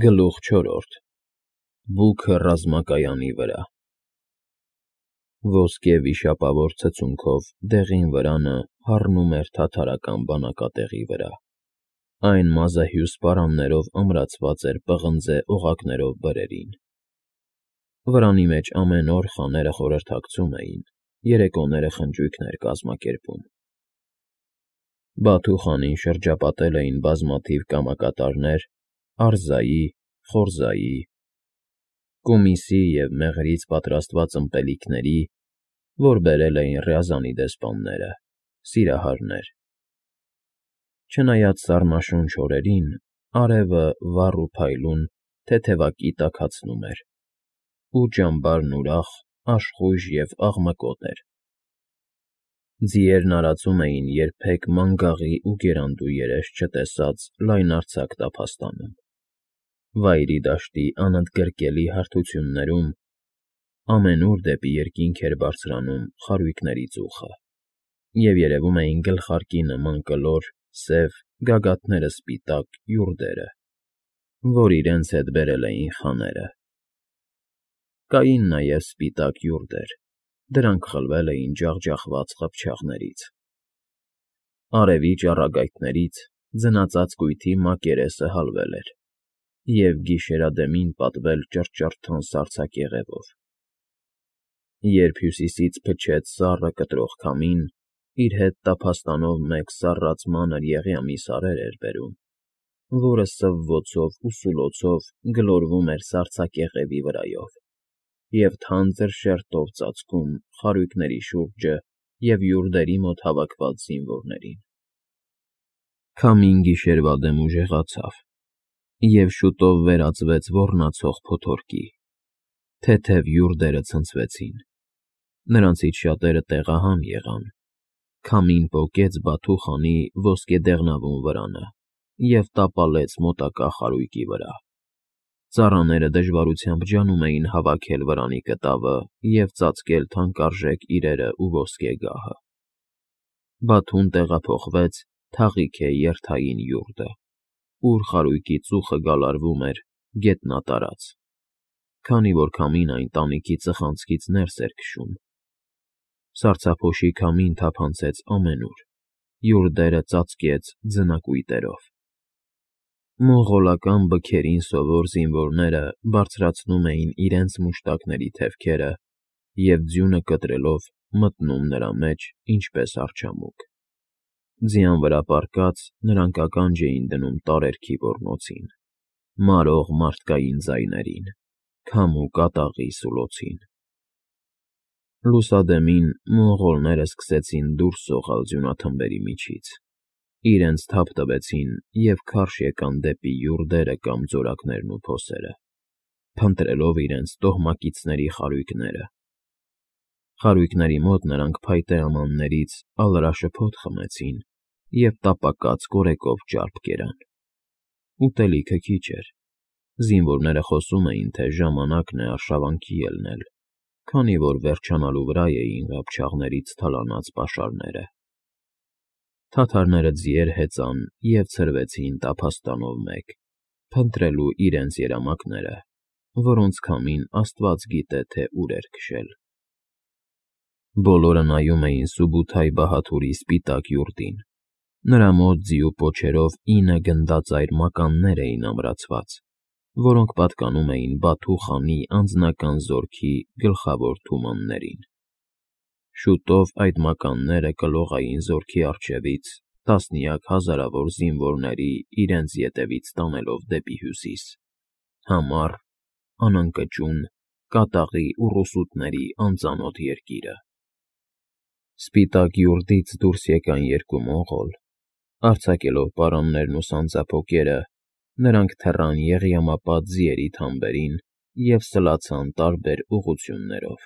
Գլուխ 4. Բուքը ռազմակայանի վրա։ Ոսկե վիշապավոր ցցունքով դեղին վրանը հառնում էր թաթարական բանակատեղի վրա։ Այն մազահյուս պարաններով ամրացված էր պղնձե օղակներով բրերին։ Վրանի մեջ ամեն օր խաները խորհրդակցում էին, երեկոները խնջույքներ կազմակերպում։ Բաթու խանին շրջապատել էին բազմաթիվ կամակատարներ արզայի, խորզայի, կումիսի և մեղրից պատրաստված ըմպելիքների, որ բերել էին Ռյազանի դեսպանները, սիրահարներ։ Չնայած սառնաշունչ օրերին, արևը վառ ու փայլուն թեթևակի տաքացնում էր, ու ճամբարն ուրախ, աշխույժ և աղմկոտ էր։ Ձիերն արածում էին երբեք մանգաղի ու գերանդու երես չտեսած լայնարձակ տափաստանում։ Վայրի դաշտի անընդգրկելի հարթություններում ամենուր դեպի երկինք էր բարձրանում խարույկների ծուխը, և երևում էին գլխարկի նման կլոր, սև, գագաթները սպիտակ յուրդերը, որ իրենց հետ բերել էին խաները։ Կային նաև սպիտակ յուրդեր, դրանք խլվել էին ջախջախված խփչաղներից։ Արևի ճառագայթներից ձնածածկույթի մակերեսը հալվել էր և գիշերադեմին պատվել ճռճռթուն սառցակեղևով։ Երբ հյուսիսից փչեց սառը կտրող քամին, իր հետ տափաստանով մեկ սառած մանր եղյամի սարեր էր բերում, որը սվվոցով ու սուլոցով գլորվում էր սառցակեղևի վրայով և թանձր շերտով ծածկում խարույկների շուրջը և յուրդերի մոտ հավաքված զինվորներին։ Քամին գիշերվա դեմ ուժեղացավ, և շուտով վերածվեց ոռնացող փոթորկի։ Թեթև յուրդերը ցնցվեցին։ Նրանցից շատերը տեղահան եղան։ Քամին պոկեց Բաթու խանի ոսկեդեղնավուն վրանը և տապալեց մոտակա խարույկի վրա։ Ծառաները դժվարությամբ ջանում էին հավաքել վրանի կտավը և ծածկել թանկարժեք իրերն ու ոսկեգահը։ Բաթուն տեղափոխվեց Թաղիքե երթային յուրտը, ուր խարույկի ծուխը գալարվում էր գետնատարած, քանի որ քամին այն տանիքի ծխանցքից ներս էր քշում։ Սառցափոշի քամին թափանցեց ամենուր, յուրդերը ծածկեց ձնակույտերով։ Մոնղոլական բքերին սովոր զինվորները բարձրացնում էին իրենց մուշտակների թևքերը և ձյունը կտրելով մտնում նրա մեջ ինչպես արջամուկ։ Ձյան վրա պառկած՝ նրանք ականջ էին դնում տարերքի ոռնոցին, մարող մարդկային ձայներին, քամու կատաղի սուլոցին։ Լուսադեմին մոնղոլները սկսեցին դուրս սողալ ձյունաթմբերի միջից, իրենց թափ տվեցին և քարշ եկան դեպի յուրդերը կամ ձորակներն ու փոսերը, փնտրելով իրենց տոհմակիցների խարույկները։ Խարույկների մոտ նրանք փայտե ամաններից ալրաշփոթ խմեցին և տապակած կորեկով ճարպ կերան։ Ուտելիքը քիչ էր։ Զինվորները խոսում էին, թե ժամանակն է արշավանքի ելնել, քանի որ վերջանալու վրա էին ղափչաղներից թալանած պաշարները։ Թաթարները ձիեր հեծան և ցրվեցին տափաստանով մեկ, փնտրելու իրենց երամակները, որոնց քամին աստված գիտե, թե ուր էր քշել։ Բոլորը նայում էին Սուբութայ բահադուրի սպիտակ յուրտին։ Նրա մոտ ձիու պոչերով 9 գնդաձայր մականներ էին ամրացված, որոնք պատկանում էին Բաթու խանի անձնական զորքի գլխավոր թումաններին։ Շուտով այդ մականները կլողային զորքի առջևից տասնյակ հազարավոր զինվորների իրենց ետևից տանելով դեպի հյուսիս, համառ, անընկճուն, կատաղի ու ռուսուտների անծանոթ երկիրը։ Սպիտակ յուրտից դուրս եկան երկու մոնղոլ։ Արձակելով պարաններն ու սանձափոկերը, նրանք թռան եղյամապատ ձիերի թամբերին և սլացան տարբեր ուղղություններով։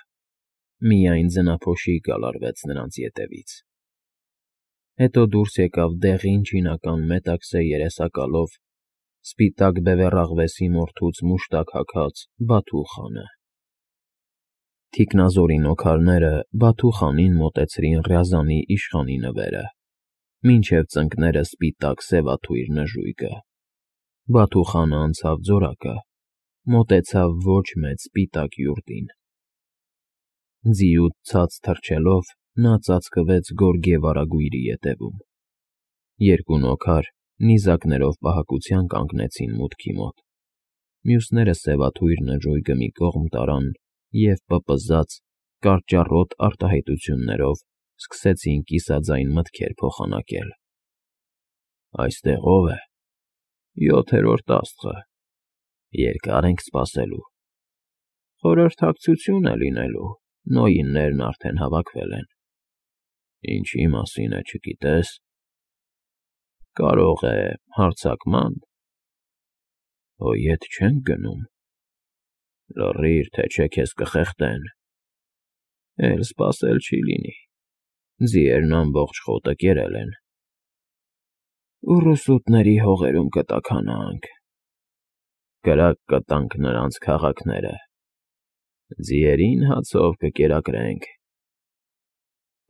Միայն ձնափոշի գալարվեց նրանց ետևից։ Հետո դուրս եկավ դեղին չինական մետաքսե երեսակալով, սպիտակ բևեռաղվեսի մորթուց մուշտակ հագած Բաթու խանը։ Թիկնազորի նոքարները Բաթու խանին մոտեցրին Ռյազանի իշխանի նվերը, մինչև ծնկները սպիտակ սևաթույր նժույգը։ Բաթուխանը անցավ ձորակը, մոտեցավ ոչ մեծ սպիտակ յուրտին։ Ձիուց ցած թռչելով նա ծածկվեց գորգե վարագույրի ետևում։ Երկու նոքար նիզակներով պահակության կանգնեցին մուտքի մոտ։ Մյուսները սևաթույր նժույգը մի կողմ տարան և պպզած, կարճառոտ արտահայտություններով սկսեցին կիսաձայն մտքեր փոխանակել։ Այստեղ ո՞վ է։ 7-րդ աստղը։ Երկար ենք սպասելու։ Խորհրդակցություն է լինելու, նոյիններն արդեն հավաքվել են։ Ինչի մասին է, չգիտես։ Կարող է հարձակման։ Հո ետ չենք գնում։ Լռիր, թե չէ քեզ կխեղդեն։ Էլ սպասել չի լինի։ Ձիերն ամբողջ խոտը կերել են։ Ուռուսուտների հողերում կտաքանանք։ Կրակ կտանք նրանց քաղաքները։ Ձիերին հացով կկերակրենք։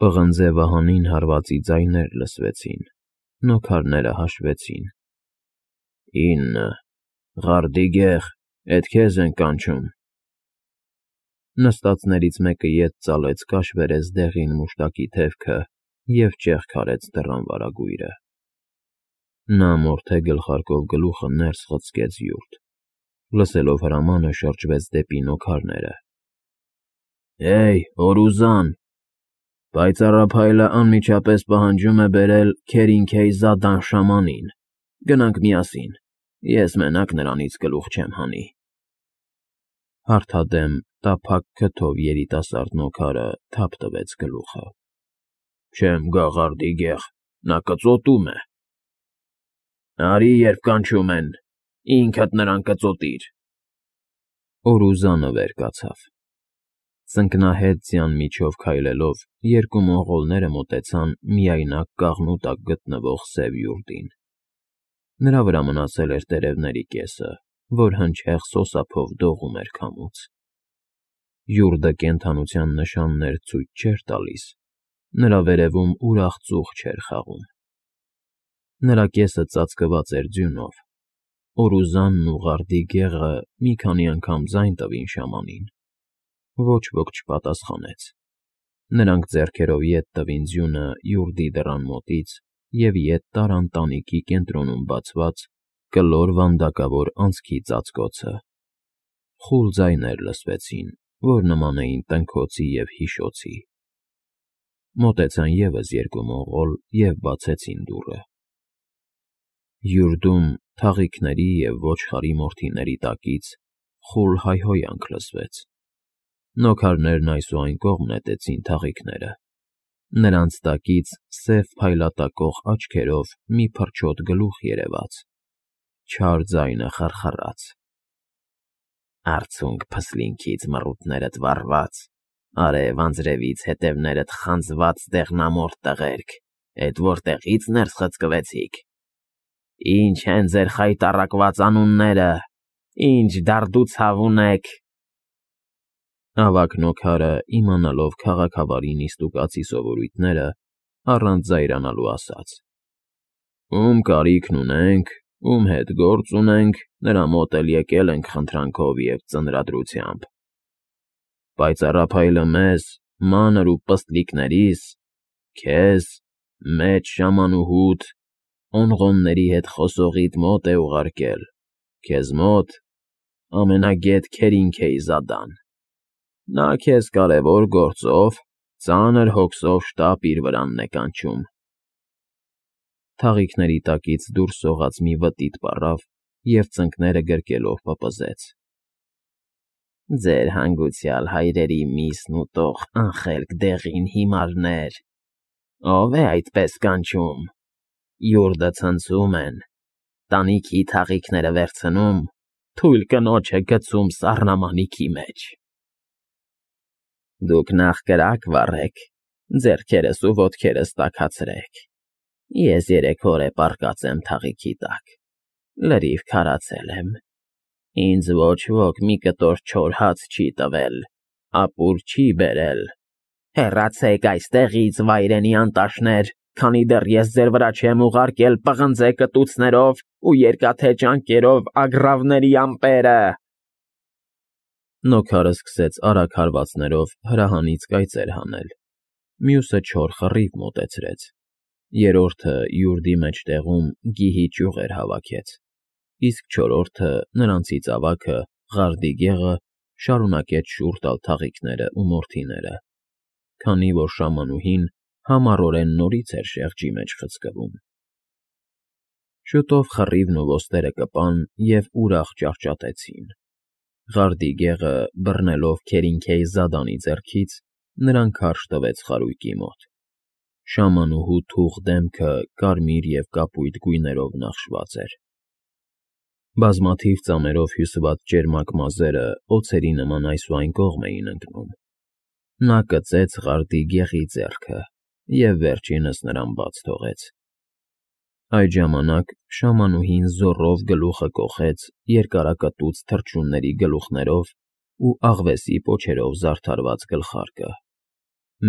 Պղնձե վահանին հարվածի ձայներ լսվեցին, նոքարները հաշվեցին։ 9, Ղարդիգեղ, էդ քեզ են կանչում։ Նստածներից մեկը ետ ծալեց կաշ բերեց դեղին մուշտակի թևքը և ճեղք արեց դռան վարագույրը։ Նա մորթե գլխարկով գլուխը ներս խցկեց յուրտ։ Լսելով հրամանը շրջվեց դեպի նոքարները։ Հեյ, Օրուզան, պայծառափայլը անմիջապես պահանջում է բերել Քերինքեյզադան շամանին։ Գնանք միասին, ես մենակ նրանից գլուխ չեմ հանի։ Հարթադեմ տափակ քթով երիտասարդ նոքարը թափ տվեց գլուխը։ Չեմ գա Ղարդիգեղ, նա կծոտում է։ Արի, երբ կանչում են, ինքդ նրան կծոտիր։ Օրուզանը վեր կացավ։ Ծնկնահետ ձյան միջով քայլելով երկու մոնղոլները մոտեցան միայնակ կաղնու տակ գտնվող սև յուրտին։ Նրա վրա մնացել էր տերևների կեսը, որ հնչեղ սոսափով դողում էր քամուց։ Յուրտը կենդանության նշաններ ցույց չէր տալիս, նրա վերևում ուրախ ծուխ չէր խաղում։ Նրա կեսը ծածկված էր ձյունով։ Օրուզանն ու Ղարդիգեղը մի քանի անգամ ձայն տվին շամանին։ Ոչ ոք չպատասխանեց։ Նրանք ձեռքերով ետ տվին ձյունը յուրտի դռան մոտից և ետ տարան տանիքի կենտրոնում բացված կլոր վանդակավոր անցքի ծածկոցը։ Խուլ ձայներ լսվեցին, որ նման էին տնքոցի և հիշոցի։ Մոտեցան ևս երկու մոնղոլ և բացեցին դուռը։ Յուրտում թաղիքների և ոչխարի մորթիների տակից խուլ հայհոյանք լսվեց։ Նոքարներն այսուայն կողմ նետեցին թաղիքները։ Նրանց տակից սև փայլատակող աչքերով մի փրչոտ գլուխ երևաց։ Չար ձայնը խռխռաց. Արցունք փսլինքից մռութներդ վառված, արև անձրևից հետևներդ խանձված դեղնամորթ տղերք, էդ որտեղի՞ց ներս խցկվեցիք։ Ինչ են ձեր խայտառակված անունները, ինչ դարդուցավ ունեք։ Ավագ նոքարը, իմանալով քաղաքավարի նիստուկացի սովորույթները, առանց զայրանալու ասաց. Ում կարիքն ունենք, ում հետ գործ ունենք, նրա մոտ էլ եկել ենք խնդրանքով և ծնրադրությամբ։ Պայծառափայլը մեզ, մանր ու պստլիկներիս, քեզ, մեծ շամանուհուդ, օնղոնների հետ խոսողիդ մոտ է ուղարկել, քեզ մոտ ամենագետ Քերինքեյզադան։ Նա քեզ կարևոր գործով, ծանր հոգսով շտապ իր վրանն է կանչում։ Թաղիքների տակից դուրս սողաց մի վտիտ պառավ և ծնկները գրկելով պպզեց. Ձեր հանգուցյալ հայրերի միսն ուտող անխելք դեղին հիմարներ, ով է այդպես կանչում։ Յուրտը ցնցում են, տանիքի թաղիքները վերցնում, թույլ կնոջը գցում սառնամանիքի մեջ։ Դուք նախ կրակ վառեք, ձեռքերս ու ոտքերս տաքացրեք։ Ես 3 օր է պառկած եմ թաղիքի տակ, լրիվ քարացել եմ։ Ինձ ոչ ոք մի կտոր չոր հաց չի տվել, ապուր չի բերել։ Հեռացեք այստեղից, վայրենի անտաշներ, Քանի դեռ ես ձեր վրա չեմ ուղարկել պղնձե կտուցներով ու երկաթե ճանկերով ագռավների ամպերը։ Նոքարը սկսեց արագ հարվածներով հրահանից կայծեր հանել, մյուսը չոր խռիվ մոտեցրեց, երրորդը յուրդի մեջտեղում գիհի ճյուղեր հավաքեց, իսկ չորրորդը նրանցից ավագը, Ղարդիգեղը, շարունակեց շուռ տալ թաղիկները ու մորթիները, քանի որ շամանուհին համառորեն նորից էր շեղջի մեջ խցկվում։ Շուտով խռիվն ու ոստերը կպան և ուրախ ճահճատեցին։ Ղարդիգեղը, բռնելով Քերինքեի զադանի ձեռքից, նրան քարշ տվեց խարույկի մոտ։ Շամանուհու թուխ դեմքը կարմիր և կապույտ գույներով նախշված էր։ Բազմաթիվ ծամերով հյուսված ճերմակ մազերը օձերի նման այս ու այն կողմ էին ընկնում։ Նա կծեց Ղարդիգեղի ձեռքը և վերջինս նրան բաց թողեց։ Այդ ժամանակ շամանուհին զոռով գլուխը կոխեց երկարակտուց թռչունների գլուխներով ու աղվեսի պոչերով զարդարված գլխարկը,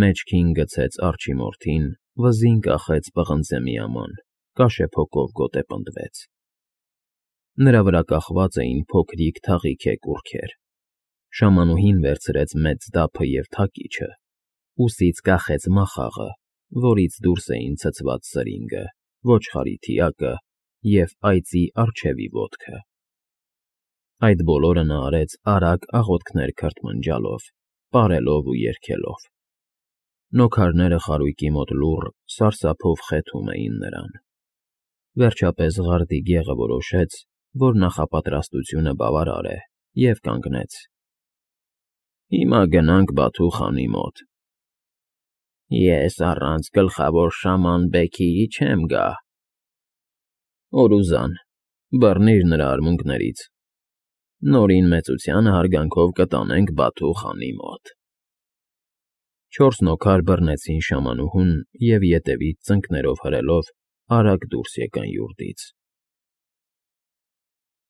մեջքին գցեց արջի մորթին, վզին կախեց պղնձե միաման, կաշեփոկով գոտեպնդվեց։ Նրա վրա կախված էին փոքրիկ թաղիքե կուռքեր։ Շամանուհին վերցրեց մեծ դափը և թակիչը, ուսից կախեց մախաղը, որից դուրս էին ցցված սրինգը, ոչխարի թիակը և այծի առջևի ոտքը։ Այդ բոլորը նա արեց արագ աղոթքներ քրթմնջալով, պարելով ու երգելով։ Նոքարները խարույկի մոտ լուռ, սարսափով խեթում էին նրան։ Վերջապես Ղարդիգեղը որոշեց, որ նախապատրաստությունը բավարար է, և կանգնեց։ Հիմա գնանք Բաթու խանի մոտ։ Ես առանց գլխավոր շաման Բեքիի չեմ գա։ Օրուզան, բռնիր նրա արմունկներից։ Նորին մեծությանը հարգանքով կտանենք Բաթու խանի մոտ։ Չորս նոքար բռնեցին շամանուհուն և ետևից ծնկներով հրելով արագ դուրս եկան յուրդից։